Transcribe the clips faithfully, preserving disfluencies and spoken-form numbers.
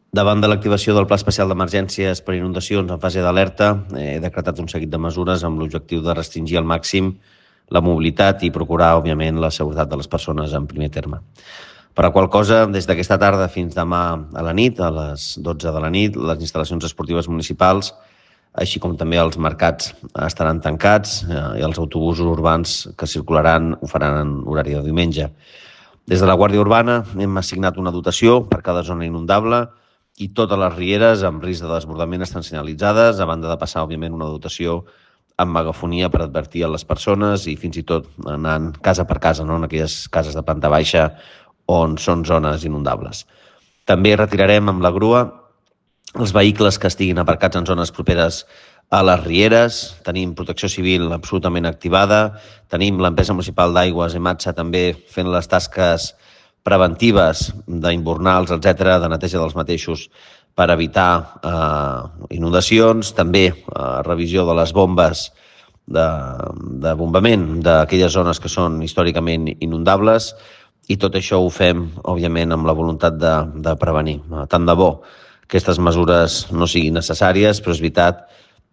Davant de l'activació del Pla Especial d'Emergències per inundacions en fase d'alerta, he decretat un seguit de mesures amb l'objectiu de restringir al màxim la mobilitat i procurar, òbviament, la seguretat de les persones en primer terme. Per la qual cosa, des d'aquesta tarda fins demà a la nit, a les dotze de la nit, les instal·lacions esportives municipals, així com també els mercats, estaran tancats i els autobusos urbans que circularan ho faran en horari de diumenge. Des de la Guàrdia Urbana hem assignat una dotació per cada zona inundable i totes les rieres amb risc de desbordament estan senyalitzades, a banda de passar, òbviament, una dotació amb megafonia per advertir a les persones i fins i tot anant casa per casa, no? En aquelles cases de planta baixa on són zones inundables. També retirarem amb la grua els vehicles que estiguin aparcats en zones properes a les rieres. Tenim protecció civil absolutament activada, tenim l'empresa municipal d'aigües, EMATSA, també fent les tasques preventives d'inbornals, etcètera, de neteja dels mateixos per evitar eh, inundacions, també eh, revisió de les bombes de, de bombament d'aquelles zones que són històricament inundables, i tot això ho fem, òbviament, amb la voluntat de, de prevenir. Tant de bo aquestes mesures no siguin necessàries, però és veritat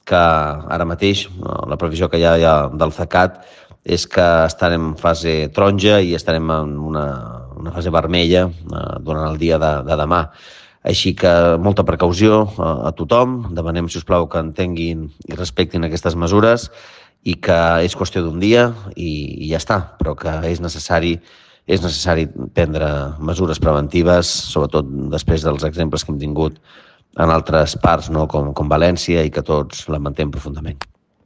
que ara mateix la previsió que hi ha del CECAT és que estarem en fase taronja i estarem en una, una fase vermella eh, durant el dia de, de demà. Així que molta precaució a, a tothom, demanem, si us plau, que entenguin i respectin aquestes mesures i que és qüestió d'un dia i, i ja està, però que és necessari, és necessari prendre mesures preventives, sobretot després dels exemples que hem tingut en altres parts, no? com, com València, i que tots lamentem profundament.